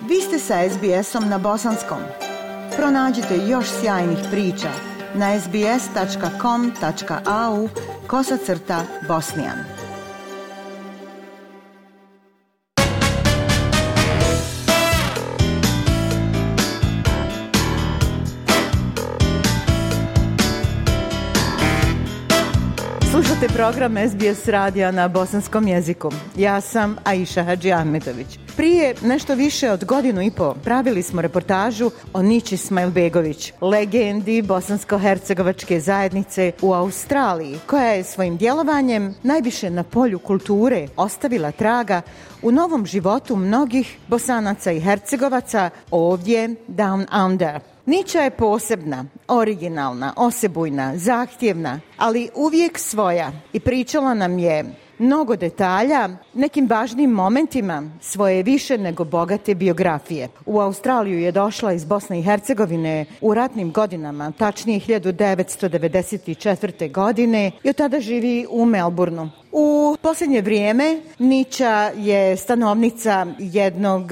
Vi ste sa SBS-om na bosanskom. Pronađite još sjajnih priča na sbs.com.au/bosnijan. Slušate program SBS radija na bosanskom jeziku. Ja sam Aisha Hadži Ahmetović. Prije nešto više od godinu i po pravili smo reportažu o Niči Smajlbegović, legendi bosansko-hercegovačke zajednice u Australiji, koja je svojim djelovanjem najviše na polju kulture ostavila traga u novom životu mnogih Bosanaca i Hercegovaca ovdje Down Under. Niča je posebna, originalna, osebujna, zahtjevna, ali uvijek svoja i pričala nam je mnogo detalja, nekim važnim momentima svoje više nego bogate biografije. U Australiju je došla iz Bosne i Hercegovine u ratnim godinama, tačnije 1994. godine, i od tada živi u Melbourneu. U posljednje vrijeme Niča je stanovnica jednog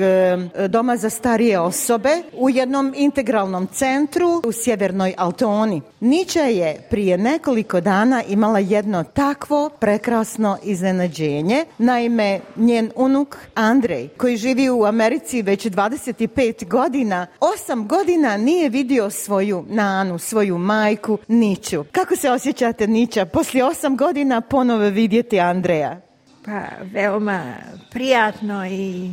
doma za starije osobe u jednom integralnom centru u sjevernoj Altoni. Niča je prije nekoliko dana imala jedno takvo prekrasno iznenađenje. Naime, njen unuk Andrej, koji živi u Americi već 25 godina, 8 godina nije vidio svoju nanu, svoju majku Niču. Kako se osjećate, Niča, poslije 8 godina ponovo vidjeti Andreja? Pa veoma prijatno i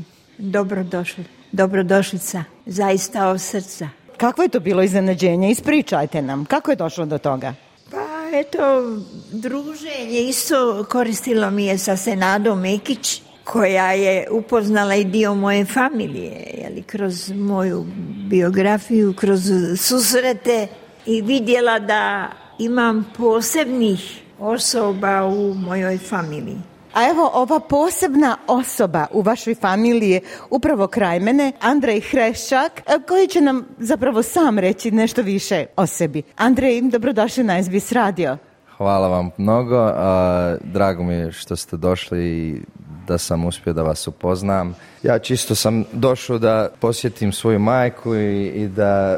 dobrodošlica, zaista od srca. Kako je to bilo iznenađenje? Ispričajte nam, kako je došlo do toga? Pa eto, druženje isto koristilo mi je sa Senadom Mekić, koja je upoznala i dio moje familije, kroz moju biografiju, kroz susrete, i vidjela da imam posebnih osoba u mojoj familiji. A evo, ova posebna osoba u vašoj familiji je upravo kraj mene, Andrej Hreščak, koji će nam zapravo sam reći nešto više o sebi. Andrej, dobrodošli na SBS radio. Hvala vam mnogo, drago mi je što ste došli i da sam uspio da vas upoznam. Ja čisto sam došao da posjetim svoju majku i da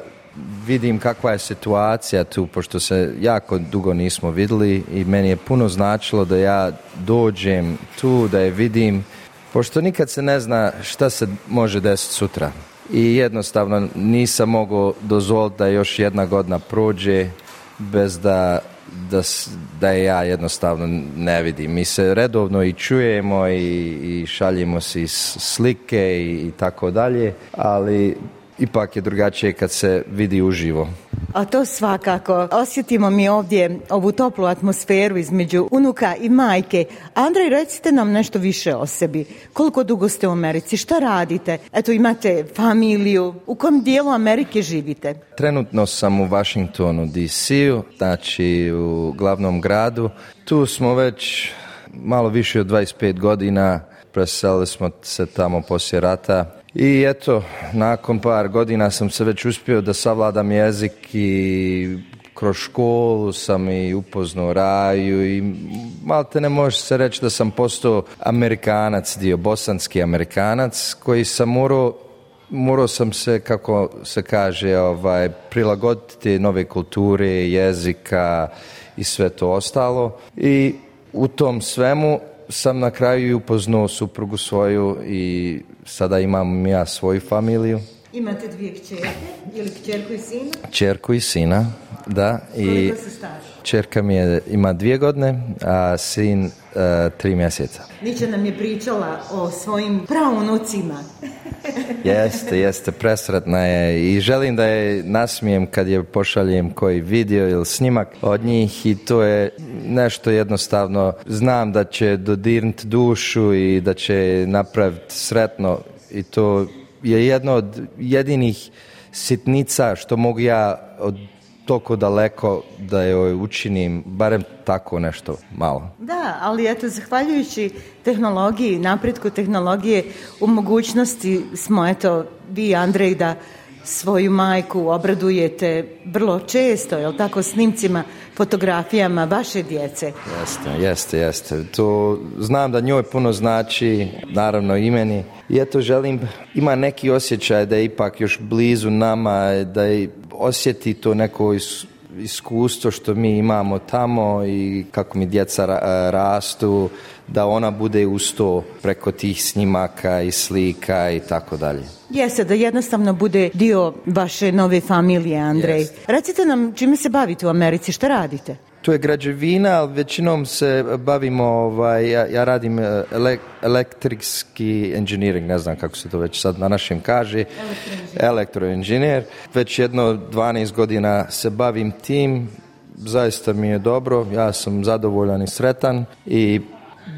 vidim kakva je situacija tu, pošto se jako dugo nismo vidjeli i meni je puno značilo da ja dođem tu, da je vidim, pošto nikad se ne zna šta se može desiti sutra. I jednostavno nisam mogao dozvoliti da još jedna godina prođe bez da je ja jednostavno ne vidim. Mi se redovno i čujemo i šaljimo si slike i tako dalje, ali ipak je drugačije kad se vidi uživo. A to svakako. Osjetimo mi ovdje ovu toplu atmosferu između unuka i majke. Andrej, recite nam nešto više o sebi. Koliko dugo ste u Americi? Šta radite? Eto, imate familiju. U kom dijelu Amerike živite? Trenutno sam u Washingtonu, D.C.u, znači u glavnom gradu. Tu smo već malo više od 25 godina. Preselili smo se tamo poslije rata. I eto, nakon par godina sam se već uspio da savladam jezik i kroz školu sam i upoznao Raju i malte ne može se reći da sam postao Amerikanac, bosanski Amerikanac, koji sam morao sam se, kako se kaže, prilagoditi nove kulture, jezika i sve to ostalo. I u tom svemu sam na kraju i upoznao suprugu svoju i sada imam ja svoju familiju. Imate dvije kćerke ili kćerku i sina? Kćerku i sina, da. Koliko se staži? Kćerka mi ima 2 godine, a sin 3 mjeseca. Niča nam je pričala o svojim praunucima. Jeste, presretna je i želim da je nasmijem kad je pošaljem koji video ili snimak od njih i to je nešto jednostavno. Znam da će dodirnuti dušu i da će napraviti sretno i to je jedno od jedinih sitnica što mogu ja od toliko daleko da joj učinim, barem tako nešto malo. Da, ali eto, zahvaljujući tehnologiji, napretku tehnologije, u mogućnosti smo, eto, vi, Andrej, da svoju majku obradujete vrlo često, jel tako, snimcima, fotografijama vaše djece. Jeste. To znam da njoj puno znači, naravno i meni. I eto želim, ima neki osjećaj da je ipak još blizu nama, da je osjeti to neko iskustvo što mi imamo tamo i kako mi djeca rastu, da ona bude uz to preko tih snimaka i slika i tako dalje. Jeste, da jednostavno bude dio vaše nove familije, Andrej. Jest. Recite nam čime se bavite u Americi, šta radite? To je građevina, ali većinom se bavimo, ja radim električki engineering, ne znam kako se to već sad na našem kaže, elektroinženjer. Već 12 godina se bavim tim, zaista mi je dobro, ja sam zadovoljan i sretan i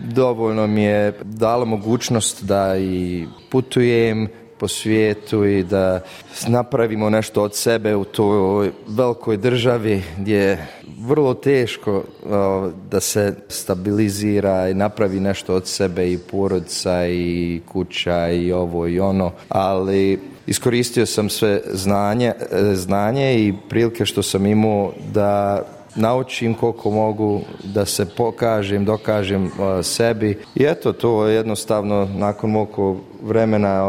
dovoljno mi je dalo mogućnost da i putujem po svijetu i da napravimo nešto od sebe u toj velikoj državi gdje je vrlo teško da se stabilizira i napravi nešto od sebe i porodica i kuća i ovo i ono, ali iskoristio sam sve znanje i prilike što sam imao da naučim koliko mogu, da se dokažem sebi i eto, to jednostavno nakon mog vremena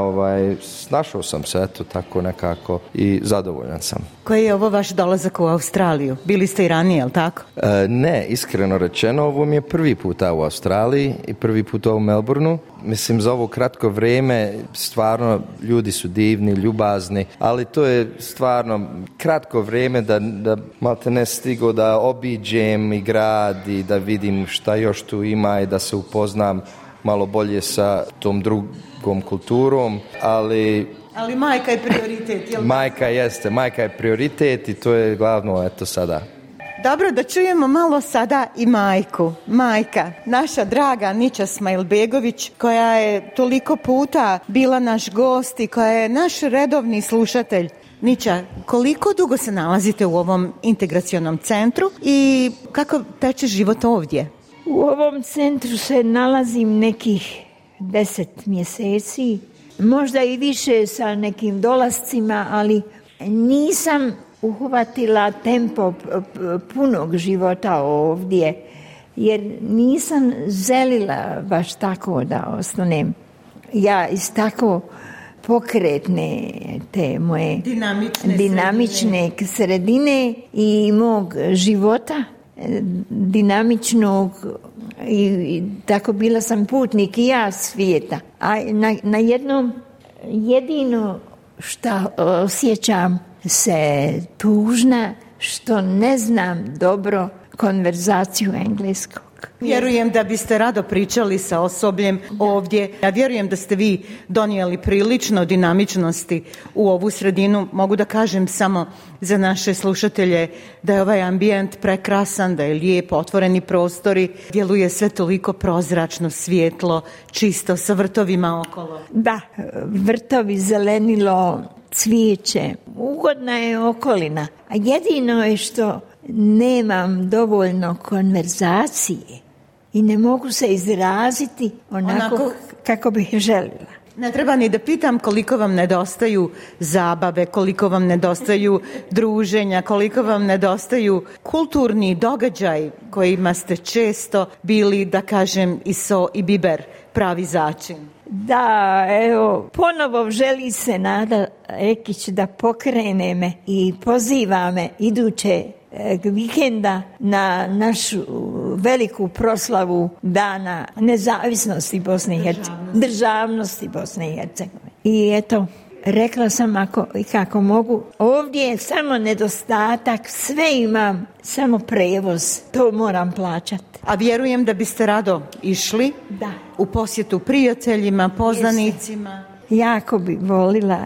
snašao sam se, eto, tako nekako i zadovoljan sam. Koji je ovo vaš dolazak u Australiju? Bili ste i ranije, jel tako? Ne, iskreno rečeno, ovo mi je prvi puta u Australiji i prvi puta u Melbourneu. Mislim, za ovo kratko vrijeme stvarno ljudi su divni, ljubazni, ali to je stvarno kratko vrijeme da malte ne stigo da obiđem i grad i da vidim šta još tu ima i da se upoznam malo bolje sa tom drugom kulturom, ali majka je prioritet, jel? Majka je prioritet i to je glavno, eto, sada. Dobro, da čujemo malo sada i majku. Majka, naša draga Nića Smajlbegović, koja je toliko puta bila naš gost i koja je naš redovni slušatelj. Nića, koliko dugo se nalazite u ovom integracionom centru i kako teče život ovdje? U ovom centru se nalazim nekih 10 mjeseci, možda i više sa nekim dolascima, ali nisam uhvatila tempo punog života ovdje, jer nisam želila baš tako da ostanem. Ja iz tako pokretne te moje dinamične sredine i mog života, dinamičnog, i tako bila sam putnik i ja svijeta. A na jednom jedino što osjećam se tužna što ne znam dobro konverzaciju engleskog. Vjerujem da biste rado pričali sa osobljem ovdje. Ja vjerujem da ste vi donijeli prilično dinamičnosti u ovu sredinu. Mogu da kažem samo za naše slušatelje da je ovaj ambijent prekrasan, da je lijep, otvoreni prostori, djeluje sve toliko prozračno, svjetlo, čisto, sa vrtovima okolo. Da, vrtovi, zelenilo, cvijeće, ugodna je okolina. A jedino je što nemam dovoljno konverzacije i ne mogu se izraziti onako kako bih željela. Ne treba ni da pitam koliko vam nedostaju zabave, koliko vam nedostaju druženja, koliko vam nedostaju kulturni događaj kojima ste često bili, da kažem, i so i biber, pravi začin. Da, evo, ponovo želi se Nada Ekić da pokrene me i poziva me iduće vikenda na našu veliku proslavu Dana nezavisnosti Bosne i Hercegovine, državnosti Bosne i Hercegovine. I eto, rekla sam kako mogu, ovdje je samo nedostatak, sve imam, samo prevoz, to moram plaćati. A vjerujem da biste rado išli u posjetu prijateljima, poznanicima. Jako bi volila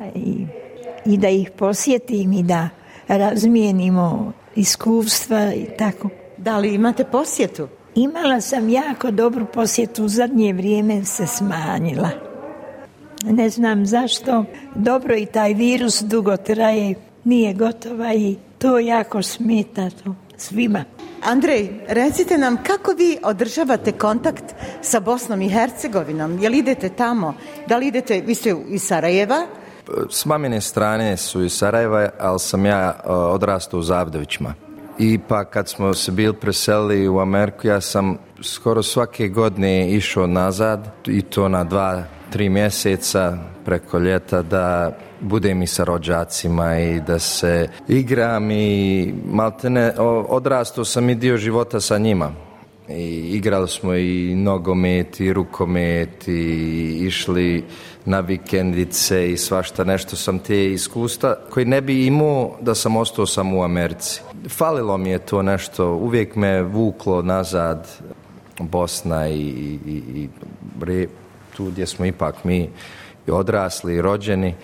i da ih posjetim i da razmijenimo iskustva i tako. Da li imate posjetu? Imala sam jako dobru posjetu, u zadnje vrijeme se smanjila. Ne znam zašto, dobro i taj virus dugo traje, nije gotova i to jako smeta to svima. Andrej, recite nam kako vi održavate kontakt sa Bosnom i Hercegovinom? Jel idete tamo? Da li idete, vi ste iz Sarajeva, S mamine strane su iz Sarajeva, ali sam ja odrastao u Zavdovićima. I pa kad smo se bili preselili u Ameriku, ja sam skoro svake godine išao nazad i to na 2-3 mjeseca preko ljeta da budem i sa rođacima i da se igram i maltene odrastao sam i dio života sa njima. I igrali smo i nogomet i rukomet i išli na vikendice i svašta nešto sam te iskustva koji ne bi imao da sam ostao sam u Americi. Falilo mi je to nešto, uvijek me vuklo nazad Bosna i tu gdje smo ipak mi odrasli i rođeni.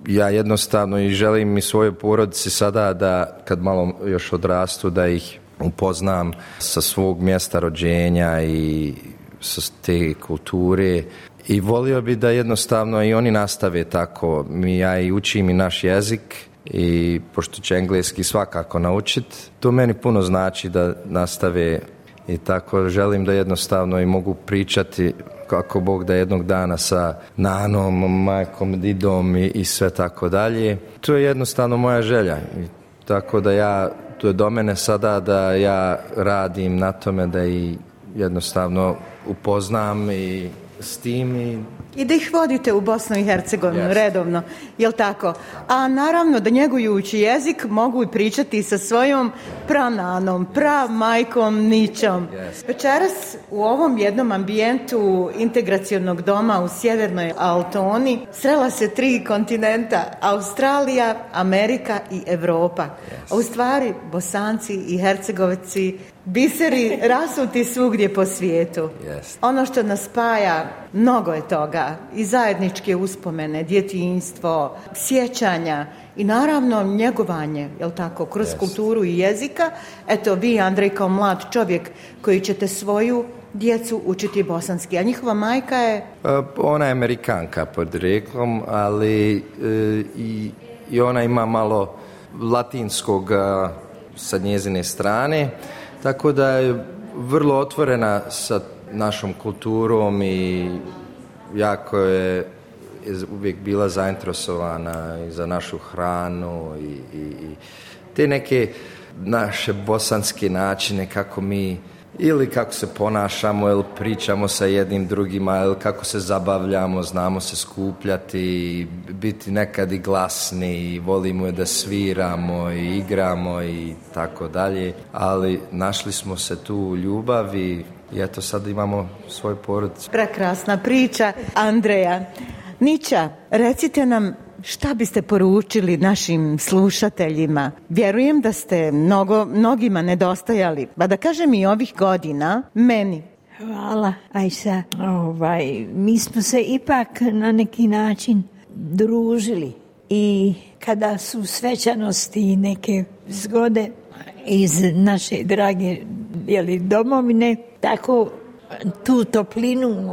Ja jednostavno i želim i svojoj porodici sada da kad malo još odrastu da ih upoznam sa svog mjesta rođenja i sa te kulture i volio bi da jednostavno i oni nastave tako. Ja i učim i naš jezik i pošto će engleski svakako naučiti, to meni puno znači da nastave i tako želim da jednostavno i mogu pričati kako Bog da jednog dana sa nanom, majkom, didom i sve tako dalje. To je jednostavno moja želja i tako da to je do mene sada da ja radim na tome da i jednostavno upoznam i s tim i da ih vodite u Bosnu i Hercegovinu redovno, jel tako? A naravno da njegujući jezik mogu i pričati sa svojom prananom, majkom, ničom. Večeras u ovom jednom ambijentu integracionog doma u Sjevernoj Altoni srela se 3 kontinenta, Australija, Amerika i Europa. A u stvari Bosanci i Hercegovci biseri rasuti svugdje po svijetu. Ono što nas spaja, mnogo je toga. I zajedničke uspomene, djetinjstvo, sjećanja i naravno njegovanje, jel tako, kroz kulturu i jezika. Eto, vi, Andrej, kao mlad čovjek koji ćete svoju djecu učiti bosanski, a njihova majka je? Ona je Amerikanka podrijetlom, ali i ona ima malo latinskog sa njezine strane, tako da je vrlo otvorena sa našom kulturom i jako je uvijek bila zainteresovana i za našu hranu i te neke naše bosanske načine kako mi ili kako se ponašamo ili pričamo sa jednim drugima ili kako se zabavljamo, znamo se skupljati, biti nekad i glasni i volimo da sviramo i igramo i tako dalje, ali našli smo se tu u ljubavi i eto sad imamo svoj porodicu. Prekrasna priča, Andreja. Niča, recite nam šta biste poručili našim slušateljima? Vjerujem da ste mnogima nedostajali, pa da kažem i ovih godina, meni. Hvala, Ajša. Mi smo se ipak na neki način družili i kada su svečanosti i neke zgode iz naše drage domovine, tako tu toplinu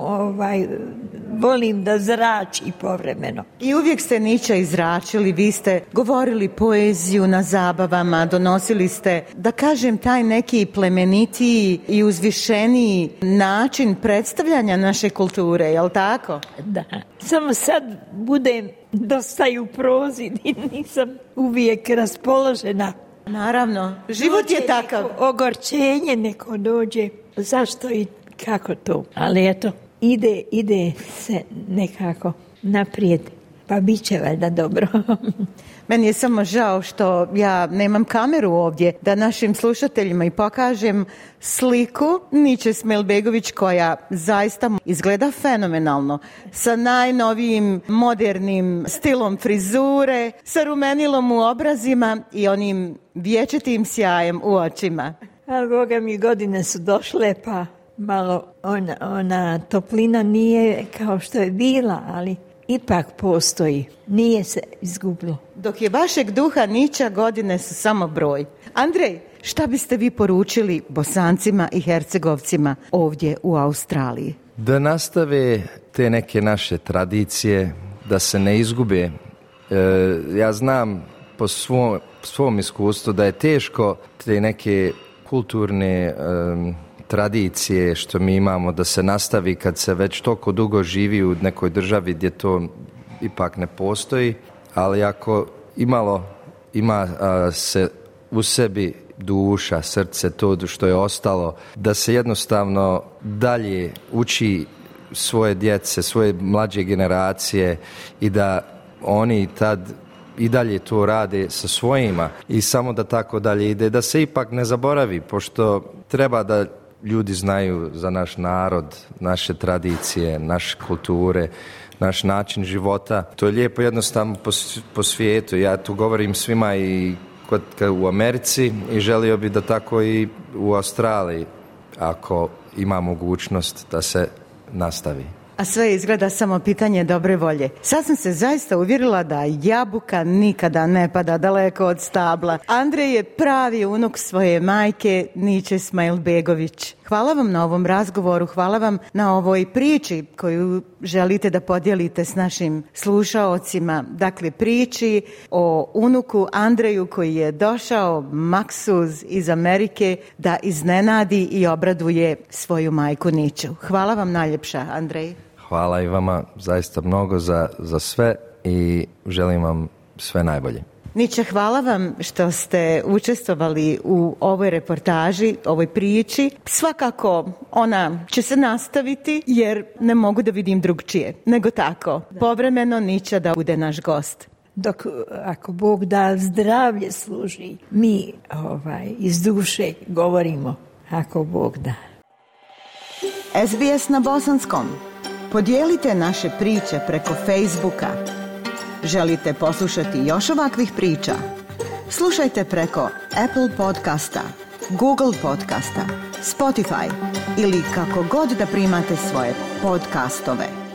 volim da zrači povremeno. I uvijek ste Niča izračili, vi ste govorili poeziju na zabavama, donosili ste, da kažem, taj neki plemenitiji i uzvišeniji način predstavljanja naše kulture, jel tako? Da, samo sad budem dosta i u prozi i nisam uvijek raspoložena. Naravno, život je takav. Ogorčenje neko dođe, zašto i kako to, ali eto, ide se nekako naprijed, pa bit će valjda dobro. Meni je samo žao što ja nemam kameru ovdje da našim slušateljima i pokažem sliku Niče Smajlbegović koja zaista izgleda fenomenalno, sa najnovijim modernim stilom frizure, sa rumenilom u obrazima i onim vječitim sjajem u očima. Ali Boga mi, godine su došle, pa malo ona toplina nije kao što je bila, ali ipak postoji, nije se izgubilo. Dok je vašeg duha Niča, godine su samo broj. Andrej, šta biste vi poručili Bosancima i Hercegovcima ovdje u Australiji? Da nastave te neke naše tradicije, da se ne izgube. Ja znam po svom iskustvu da je teško te neke kulturne tradicije što mi imamo da se nastavi kad se već toliko dugo živi u nekoj državi gdje to ipak ne postoji, ali ako ima se u sebi duša, srce, to što je ostalo, da se jednostavno dalje uči svoje djece, svoje mlađe generacije i da oni tad i dalje to rade sa svojima i samo da tako dalje ide, da se ipak ne zaboravi, pošto treba da ljudi znaju za naš narod, naše tradicije, naše kulture, naš način života. To je lijepo jednostavno po svijetu. Ja tu govorim svima i u Americi i želio bi da tako i u Australiji, ako ima mogućnost da se nastavi. A sve izgleda samo pitanje dobre volje. Sad sam se zaista uvjerila da jabuka nikada ne pada daleko od stabla. Andrej je pravi unuk svoje majke Niče Smajlbegović. Hvala vam na ovom razgovoru, hvala vam na ovoj priči koju želite da podijelite s našim slušaocima. Dakle, priči o unuku Andreju koji je došao maksuz iz Amerike da iznenadi i obraduje svoju majku Niču. Hvala vam najljepša, Andrej. Hvala i vama zaista mnogo za sve i želim vam sve najbolje. Niče, hvala vam što ste učestvovali u ovoj reportaži, ovoj priči. Svakako ona će se nastaviti jer ne mogu da vidim drugčije nego tako. Povremeno Niča da bude naš gost. Dok, ako Bog da, zdravlje služi, mi iz duše govorimo, ako Bog da. SBS na bosanskom. Podijelite naše priče preko Facebooka. Želite poslušati još ovakvih priča? Slušajte preko Apple podcasta, Google podcasta, Spotify ili kako god da primate svoje podcastove.